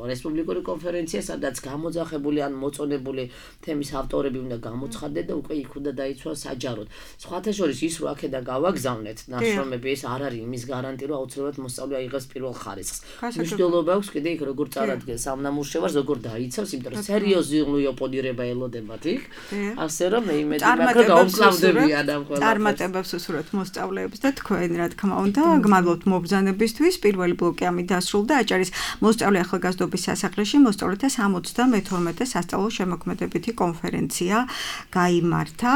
რესპუბლიკური კონფერენცია, სადაც გამოძახებული ან მოწონებული თემის ავტორები უნდა გამოცხადდნენ და უკვე იქ უნდა დაიცვას საჯაროდ. სხვათა შორის ის რო აქედან გავაგზავნეთ ნაშრომები, ეს არ არის იმის გარანტი, რომ აუცილებლად მოსწავლე აიღებს პირველ ხარისხს. მნიშვნელობა აქვს კიდე იქ როგორ წარადგენს ამ ნამუშევარს, როგორ დაიცავს, იმიტომ რომ სერიოზული ოპონირება ელოდებათ იქ. ასე რომ მე იმედი მაქვს, რომ გაუმკლავდებიან ამ ყველაფერს. წარმატებებს უსურვებთ მოსწავლეებს და თქვენ, რა თქმა უნდა, გმადლობთ მობრძანებისთვის. პირველი ბლოკი ამით დასრულდა. აჭარის მოსწავლე ახალგაზრდობის სასახლეში მოსწავლეთა 72 სასწავლო შემოქმედებითი კონფერენცია გაიმართა.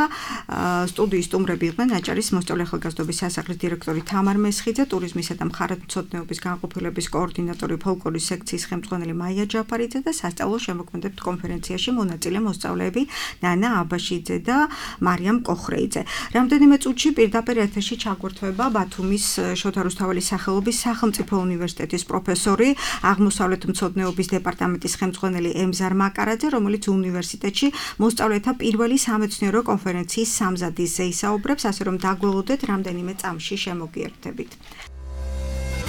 სტუდიის სტუმრები იყვნენ აჭარის მოსწავლე ახალგაზრდობის სასახლის დირექტორი თამარ მესხიძე, ტურიზმისა და მხარეთმცოდნეობის განყოფილების კოორდინატორი ფოლკლორის სექციის ხელმძღვანელი მაია ჯაფარიძე და სასწავლო შემოქმედებითი კონფერენციაში მონაწილე მოსწავლეები ნანა აბაშიძე და მარიამ კოხრეიძე. რამდენიმე წუთში პირდაპირ ეთერში ჩაგვერთვება ბათუმის შოთა რუსთაველის სახელობის სახელმწიფო უნივერსიტეტის პროფესორი, აღმოსავლეთმცოდნეობის დეპარტამენტის ხელმძღვანელი ემზარ მაკარაძე, რომელიც უნივერსიტეტში მოსწავლეთა პირველი სამეცნიერო კონფერენციის სამზადისზე ისაუბრებს, ასე რომ დაგველოდეთ რამდენიმე წამში შემოგიერთებით.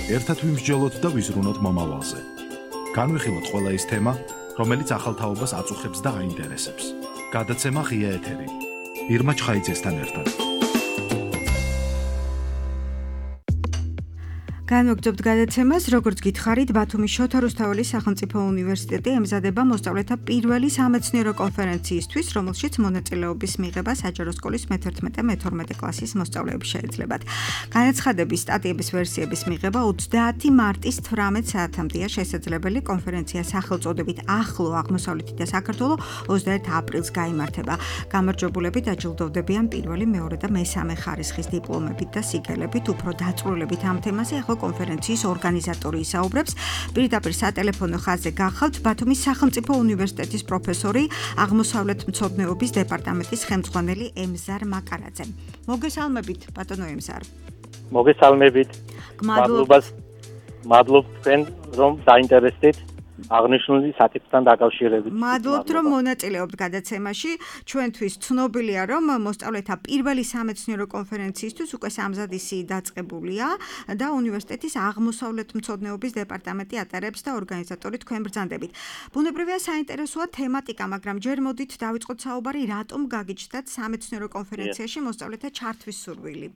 ერთად ვიმსჯელოთ და ვიზრუნოთ მომავალზე. განვიხილოთ ყველა ის თემა, რომელიც ახალ თაობას აწუხებს და აინტერესებს. გადაცემა ღია ეთერი. ირმა ჩხაიძესთან ერთად. განვაგრძობთ გადაცემას, როგორც გითხარით, ბათუმის შოთა რუსთაველის სახელმწიფო უნივერსიტეტი ემზადება მოსწავლეთა პირველი სამეცნიერო კონფერენციისთვის, რომელშიც მონაწილეობის მიღება საჯარო სკოლის მე-11-მე-12 კლასის მოსწავლეებს შეეძლებათ. განაცხადების სტატიების ვერსიების მიღება 30 მარტის 18 საათამდეა შესაძლებელი. კონფერენცია სახელწოდებით ახლო აღმოსავლეთი და საქართველო 21 აპრილს გაიმართება. გამარჯვებულები დაჯილდოვდებიან პირველი, მეორე და მესამე ხარისხის დიპლომებით და სიგელებით. უფრო დაწვრილებით ამ თემაზე ახლა კონფერენციის ორგანიზატორი ისაუბრებს. პირდაპირ სატელეფონო ხაზზე გახავთ ბათუმის სახელმწიფო უნივერსიტეტის პროფესორი, აღმოსავლეთმცოდნეობის დეპარტამენტის ხელმძღვანელი ემზარ მაკარაძე. მოგესალმებით, ბატონო ემზარ. მოგესალმებით. მადლობთ თქვენ, რომ დაინტერესდით აღნიშნული საკითხთან დაკავშირებით. მადლობთ, რომ მონაწილეობთ გადაცემაში. ჩვენთვის ცნობილია, რომ მოსწავლეთა პირველი სამეცნიერო კონფერენციისთვის უკვე სამზადისი დაწყებულია და უნივერსიტეტის აღმოსავლეთმცოდნეობის დეპარტამენტი ატარებს და ორგანიზატორი თქვენ ბრძანდებით. ბუნებრივია საინტერესოა თემატიკა, მაგრამ ჯერ მოდით დავიწყოთ საუბარი, რატომ გაგიჩნდათ სამეცნიერო კონფერენციაში მოსწავლეთა ჩართვის სურვილი?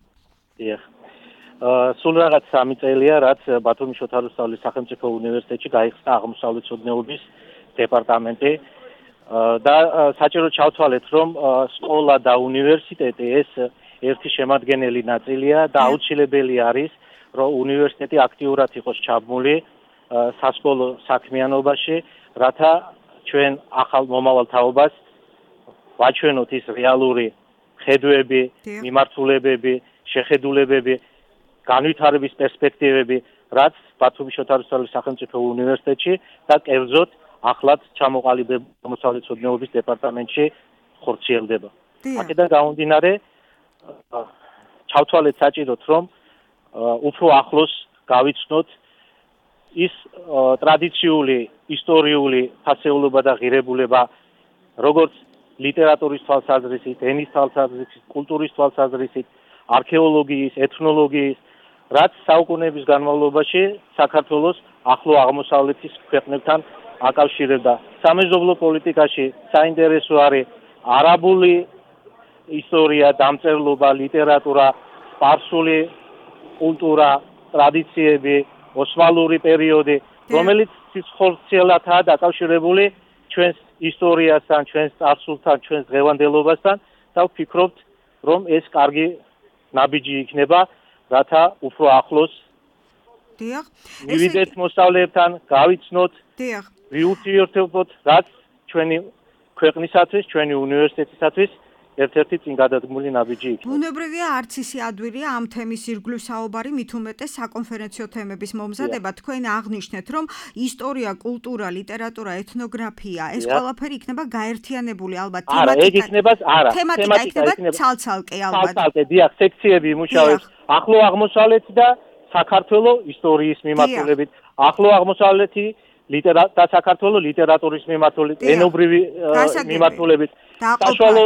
სულ რაღაც 3 წელია, რაც ბათუმის შოთა რუსთაველის სახელმწიფო უნივერსიტეტში გაიხსნა აღმოსავლეთმცოდნეობის დეპარტამენტი და საჭირო ჩავთვალეთ, რომ სკოლა და უნივერსიტეტი ეს ერთი შემადგენელი ნაწილია და აუცილებელი არის, რომ უნივერსიტეტი აქტიურად იყოს ჩაბმული სასკოლო საქმიანობაში, რათა ჩვენ ახალ მომავალ თაობას ვაჩვენოთ ის რეალური ხედვები, მიმართულებები, შეხედულებები, განვითარების პერსპექტივები, რაც ბათუმის შოთა რუსთაველის სახელმწიფო უნივერსიტეტში და კერძოდ ახლად ჩამოყალიბებულ აღმოსავლეთმცოდნეობის დეპარტამენტში ხორციელდება. აქედან გამომდინარე, ჩავთვალეთ საჭიროდ, რომ უფრო ახლოს გავიცნოთ ის ტრადიციული, ისტორიული ფასეულობა და ღირებულება, როგორც ლიტერატურის თვალსაზრისით, ენის თვალსაზრისით, კულტურის თვალსაზრისით, არქეოლოგიის, ეთნოლოგიის, რაც საუკუნეების განმავლობაში საქართველოს ახლო აღმოსავლეთის ქვეყნებთან აკავშირებდა. სამეზობლო პოლიტიკაში საინტერესო არის არაბული ისტორია, დამწერლობა, ლიტერატურა, სპარსული კულტურა, ტრადიციები, ოსმალური პერიოდი, რომელიც სიცხორცელათაა დაკავშირებული ჩვენს ისტორიასთან, ჩვენს წარსულთან, ჩვენს დღევანდელობასთან და ვფიქრობთ, რომ ეს კარგი ნაბიჯი იქნება, რათა უფრო ახლოს მივიდეთ მოსწავლეებთან, გავიცნოთ, ვიურთიერთობოთ, რაც ჩვენი ქვეყნისათვის, ჩვენი უნივერსიტეტისათვის ერთ-ერთი წინ გადადგმული ნაბიჯი იქნება. ბუნებრივია არც ისე ადვილია ამ თემის ირგვლივ საუბარი, მით უმეტეს საკონფერენციო თემების მომზადება. თქვენ აღნიშნეთ, რომ ისტორია, კულტურა, ლიტერატურა, ეთნოგრაფია, ეს ყველაფერი იქნება გაერთიანებული ალბათ თემატიკა იქნება ცალ-ცალკე ალბათ. ცალ-ცალკე, დიახ, სექციები იმუშავებს ახლო აღმოსავლეთი და საქართველოს ისტორიის მიმართულებით, ახლო აღმოსავლეთი და საქართველოს ლიტერატურის მიმართულებით, ენობრივი მიმართულებით, საშუალო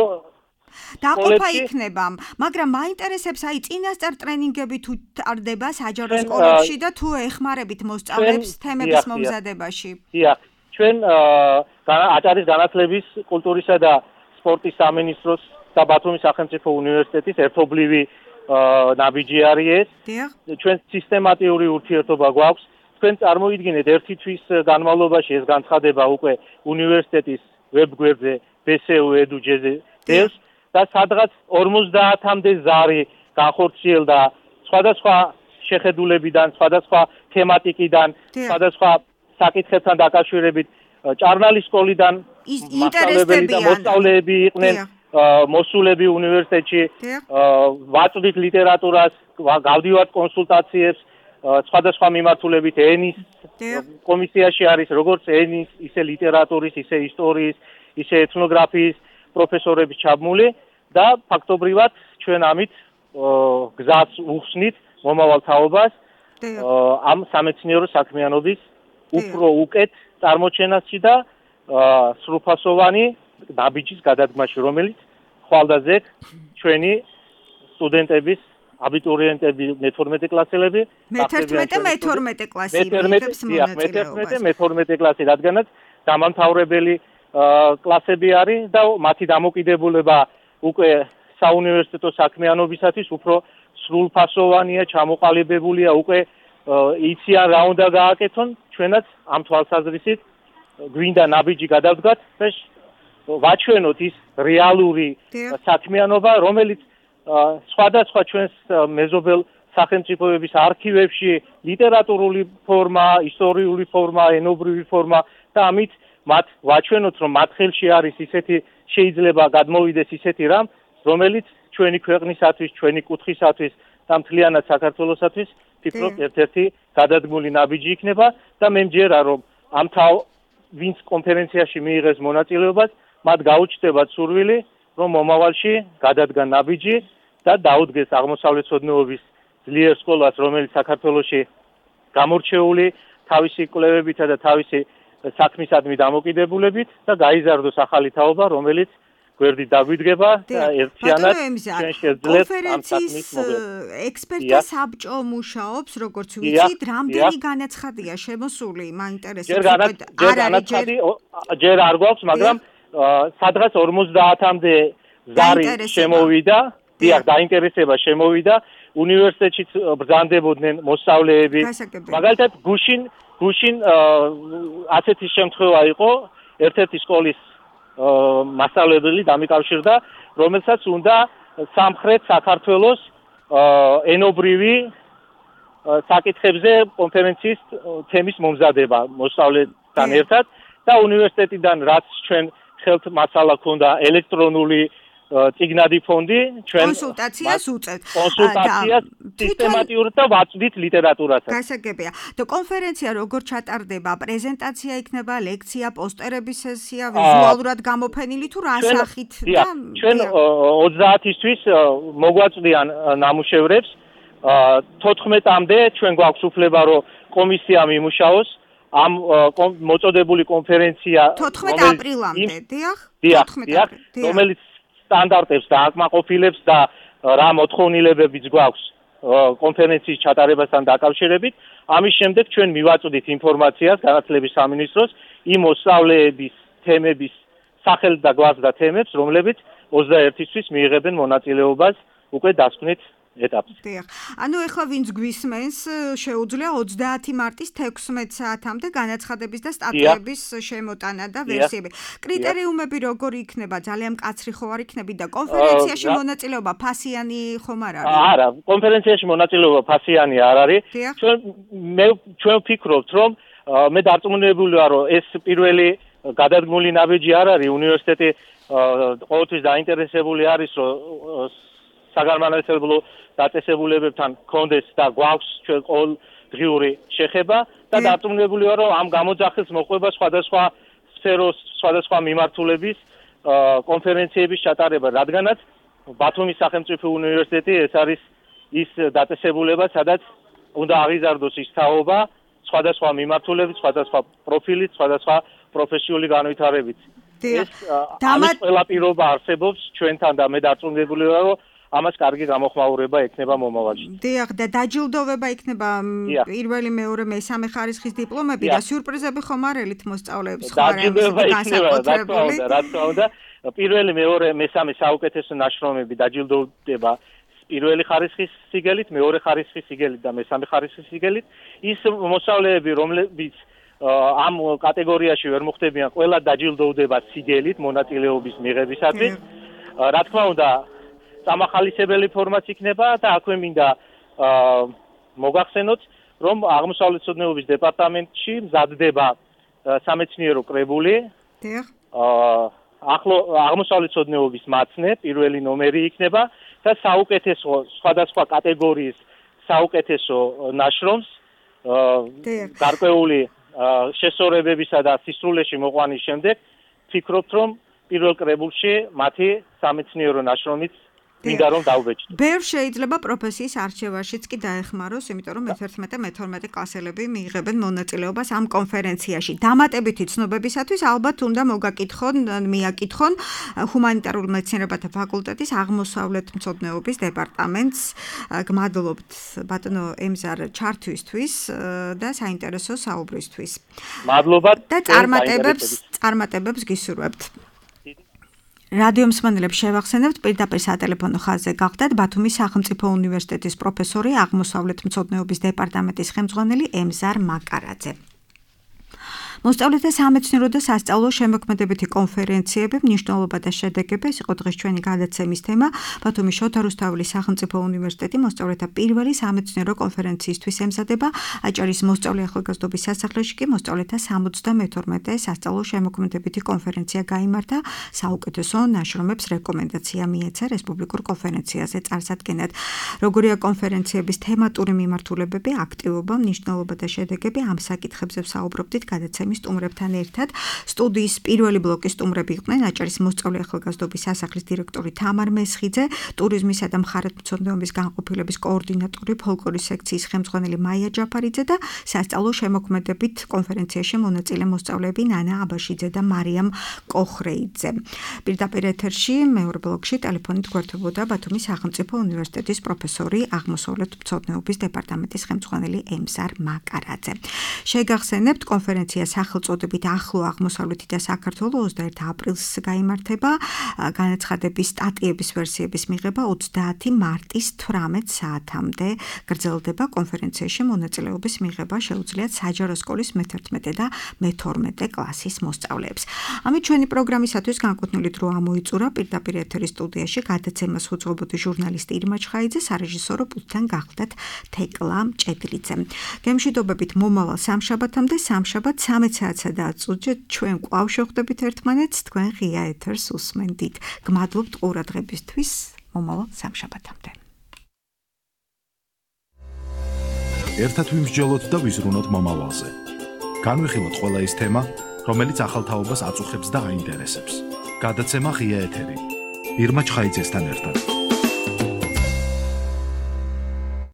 დაყოფა იქნება, მაგრამ მაინტერესებს აი წინასწარ ტრენინგები თუ ტარდება საჯარო სკოლებში და თუ ეხმარებით მოსწავლეებს თემების მომზადებაში. დიახ, ჩვენ აჭარის განათლების, კულტურისა და სპორტის სამინისტროს და ბათუმის სახელმწიფო უნივერსიტეტის ერთობლივი ნაბიჯი არის ეს. ჩვენ სისტემატიური ურთიერთობა გვაქვს. თქვენ წარმოიდგინეთ, ერთი თვის განმავლობაში ეს განცხადება უკვე უნივერსიტეტის ვებგვერდზე BSU-edu.jz დევს და სადღაც 50-მდე ზარი განხორციელდა სხვადასხვა შეხედულებიდან, სხვადასხვა თემატიკიდან, სხვადასხვა საკითხებთან დაკავშირებით. ჭარნალის სკოლიდან მასწავლებელი და მოსწავლეები იყვნენ მოსულები უნივერსიტეტში, ვაწვდით ლიტერატურას, გავდივართ კონსულტაციებს სხვადასხვა მიმართულებით. ენის კომისიაში არის როგორც ენის, ისე ლიტერატურის, ისე ისტორიის, ისე ეთნოგრაფიის პროფესორები ჩაბმული და ფაქტობრივად ჩვენ ამით გზას უხსნით მომავალ თაობას ამ სამეცნიერო საქმიანობის უფრო უკეთ წარმოჩენაში და სრულფასოვანი ნაბიჯის გადადგმაში, რომელიც ხვალდაზე ჩვენი სტუდენტების აბიტურიენტები მე-12 კლასელები მე-11 კლასი მიიღებს მონაწილეობას. მე-12 კლასი, რადგანაც დამამთავრებელი კლასები არის და მათი დამოკიდებულება უკვე საუნივერსიტეტო საქმიანობისათვის უფრო სრულფასოვანია, ჩამოყალიბებულია, უკვე იციან რა უნდა გააკეთონ, ჩვენაც ამ თვალსაზრისით გვინდა ნაბიჯი გადავდგათ და ვაჩვენოთ ის რეალური საქმიანობა, რომელიც სხვადასხვა ჩვენს მეზობელ სახელმწიფოების არქივებში ლიტერატურული ფორმა, ისტორიული ფორმა, ენობრივი ფორმა და ამით მათ ვაჩვენოთ, რომ მათ ხელში არის ისეთი შეიძლება გადმოვიდეს ისეთი რამ, რომელიც ჩვენი ქვეყნისათვის, ჩვენი კუთხისათვის და მთლიანად საქართველოსათვის ფიქრობ ერთ-ერთი გადადგმული ნაბიჯი იქნება და მე მჯერა, რომ ამ ვინც კონფერენციაში მიიღეს მონაწილეობას, მათ გაუჩნდებათ სურვილი, რომ მომავალში გადადგან ნაბიჯი და დაუდგეს აღმოსავლეთმცოდნეობის ძლიერ სკოლას, რომელიც საქართველოში გამორჩეული თავისი კვლევებითა და თავისი საქმისადმი დამოკიდებულებით და გაიზარდოს ახალი თაობა, რომელიც გვერდით დაგვიდგება და ერთიანად ჩვენ შევძლებთ ამ საქმის მოგება. ექსპერტთა საბჭო მუშაობს, როგორც ვიცით, რამდენი განაცხადია შემოსული, მაინტერესებს ჯერ არ გვაქვს, მაგრამ სადღაც 50-მდე ზარი შემოვიდა, დიახ, დაინტერესება შემოვიდა, უნივერსიტეტშიც ბრძანდებოდნენ მოსწავლეები. მაგალითად, გუშინ ასეთი შემთხვევა იყო, ერთ-ერთი სკოლის მასწავლებელი დამიკავშირდა, რომელსაც უნდა სამხრეთ საქართველოს ენობრივი საკითხებზე კონფერენციის თემის მომზადება მოსწავლეებთან ერთად და უნივერსიტეტიდან რაც ჩვენ ხელთ მასალა ქონდა ელექტრონული წიგნადი ფონდი, ჩვენ კონსულტაციას უწევთ. კონსულტაციას სისტემატიურად და ვაწვდით ლიტერატურასაც. გასაგებია. და კონფერენცია როგორ ჩატარდება? პრეზენტაცია იქნება, ლექცია, პოსტერების სესია, ვიზუალურად გამოფენილი თუ რა სახით და ჩვენ 30-ისთვის მოგვაწვდიან ნამუშევრებს. 14-მდე ჩვენ გვაქვს უფლება, რომ კომისია მიმუშაოს ამ მოწოდებული კონფერენცია 14 აპრილამდე, დიახ? დიახ, რომელიც სტანდარტებს და აკმაყოფილებს და რა მოთხოვნილებებიც გვაქვს კონფერენციის ჩატარებასთან დაკავშირებით. ამის შემდეგ ჩვენ მივაწვდით ინფორმაციას განათლების სამინისტროს იმ მოსწავლეების თემების სახელს და გვარს და თემებს, რომლებიც 21-ისთვის მიიღებენ მონაწილეობას უკვე დასკვნით ეტაპზე. დიახ. ანუ ეხლა ვინც გვისმენს, შეუძლია 30 მარტის 16 საათამდე განაცხადების და სტატიების შემოტანა და ვერსიები. კრიტერიუმები როგორი იქნება? ძალიან მკაცრი ხო არ იქნები და კონფერენციაში მონაწილეობა ფასიანი ხომ არ არის? არა, კონფერენციაში მონაწილეობა ფასიანი არ არის. ჩვენ ვფიქრობთ, რომ მე დარწმუნებული ვარ, რომ ეს პირველი გადადგმული ნაბიჯი არ არის. უნივერსიტეტი ყოველთვის დაინტერესებული არის, რომ საგანმანათლებლო დაწესებულებებთან კონდეს და გვაქვს ჩვენ ყოველდღიური შეხება და დარწმუნებული ვარ, რომ ამ გამოძახილს მოყვება სხვადასხვა სფეროს, სხვადასხვა მიმართულების კონფერენციების ჩატარება, რადგანაც ბათუმის სახელმწიფო უნივერსიტეტი ეს არის ის დაწესებულება, სადაც უნდა აღიზარდოს ის თაობა სხვადასხვა მიმართულებით, სხვადასხვა პროფილით, სხვადასხვა პროფესიული განვითარებით. ეს ამის ყველა პირობა არსებობს ჩვენთან და მე დარწმუნებული ვარ, რომ ამას კარგი გამოხმაურება ექნება მომავალში. დიახ, და დაჯილდოვება იქნება პირველი, მეორე, მესამე ხარისხის დიპლომები და სიურპრიზები ხომ არ ელით მოსწავლეებს ხომ არ განსაკუთრებული. რა თქმა უნდა, პირველი, მეორე, მესამე საუკეთესო ნაშრომები დაჯილდოვდება პირველი ხარისხის სიგელით, მეორე ხარისხის სიგელით და მესამე ხარისხის სიგელით. ის მოსწავლეები, რომლებიც ამ კატეგორიაში ვერ მოხვდებიან, ყველა დაჯილდოვდება სიგელით მონაწილეობის მიღებისათვის. რა თქმა უნდა, სამახალისებელი ფორმაც იქნება და აქვე მინდა მოგახსენოთ, რომ აღმოსავლეთმცოდნეობის დეპარტამენტში მზადდება სამეცნიერო კრებული. დიახ. აღმოსავლეთმცოდნეობის მაცნე პირველი ნომერი იქნება და საუკეთესო სხვადასხვა კატეგორიის საუკეთესო ნაშრომს გარკვეული შესწორებებისა და სისრულეში მოყვანის შემდეგ ვფიქრობთ, რომ პირველ კრებულში მათი სამეცნიერო ნაშრომიც მინდა რომ დავბეჭდო. ბევრ შეიძლება პროფესიის არჩევაშიც კი დაეხმაროს, იმიტომ რომ 11-12 კლასელები მიიღებენ მონაწილეობას ამ კონფერენციაში. დამატებითი ცნობებისათვის ალბათ უნდა მიაკითხონ ჰუმანიტარულ მეცნიერებათა ფაკულტეტის აღმოსავლეთმცოდნეობის დეპარტამენტს. გმადლობთ ბატონო ემზარ ჩართვისთვის და საინტერესო საუბრისთვის. მადლობა და წარმატებებს გისურვებთ. რადიო მსმენელებს შევახსენებთ, პირდაპირ სატელეფონო ხაზზე გახდათ ბათუმის სახელმწიფო უნივერსიტეტის პროფესორი, აღმოსავლეთმცოდნეობის დეპარტამენტის ხელმძღვანელი ემზარ მაკარაძე. მოსწავლეთა სამეცნიერო და სასწავლო შემოქმედებითი კონფერენციები, მნიშვნელობა და შედეგები, ეს იყო დღეს ჩვენი გადაცემის თემა. ბათუმის შოთა რუსთაველის სახელმწიფო უნივერსიტეტი მოსწავლეთა პირველი სამეცნიერო კონფერენციისთვის ემზადება. აჭარის მოსწავლე ახალგაზრდობის სასახლეში კი მოსწავლეთა 72 სასწავლო შემოქმედებითი კონფერენცია გაიმართა. საუკეთესო ნაშრომებს რეკომენდაცია მიეცა რესპუბლიკურ კონფერენციაზე წარსადგენად. როგორია კონფერენციების თემატური მიმართულებები, აქტივობა, მნიშვნელობა და შედეგები, ამ საკითხებზე ვსაუბრობდით გადაცემის სტუმრებთან ერთად. სტუდიის პირველი ბლოკის სტუმრები იყვნენ აჭარის მოსწავლე ახალგაზრდობის სასახლის დირექტორი თამარ მესხიძე, ტურიზმისა და მხარეთმცოდნეობის განყოფილების კოორდინატორი, ფოლკლორის სექციის ხელმძღვანელი მაია ჯაფარიძე და სასწავლო შემოქმედებით კონფერენციაში მონაწილე მოსწავლეები ნანა აბაშიძე და მარიამ კოხრეიძე. პირდაპირ ეთერში მეორე ბლოკში ტელეფონით გვერდებოდა ბათუმის სახელმწიფო უნივერსიტეტის პროფესორი, აღმოსავლეთმცოდნეობის დეპარტამენტის ხელმძღვანელი ემზარ მაკარაძე. შეგახსენებთ, კონფერენცია სახელწოდებით ახლო აღმოსავლეთი და საქართველოს 21 აპრილს გაიმართება. განაცხადების სტატიების ვერსიების მიღება 30 მარტის 18 საათამდე გრძელდება. კონფერენციაში მონაწილეობის მიღება შეუძლიათ საჯარო სკოლის მე-11 და მე-12 კლასის მოსწავლეებს. ამით ჩვენი პროგრამისათვის განკუთვნილი დრო ამოიწურა. პირდაპირ ეთერის სტუდიაში გადაცემას უძღვებოდი ჟურნალისტი ირმა ჩხაიძე, სარეჟისორო პულტთან გახლდათ თეკლა მჭედლიძე. გემშვიდობებით მომავალ სამშაბათამდე, სამშაბათ 13 საათსა და 10 წუთში ჩვენ კვლავ შევხვდებით ერთმანეთს, თქვენ ღია ეთერს უსმენდით. გმადლობთ ყურადღებისთვის, მომავალ სამშაბათამდე. ერთად ვიმსჯელოთ და ვიზრუნოთ მომავალზე. განვიხილოთ ყველა ის თემა, რომელიც ახალ თაობას აწუხებს და აინტერესებს. გადაცემა ღია ეთერი. ირმა ჩხაიძესთან ერთად.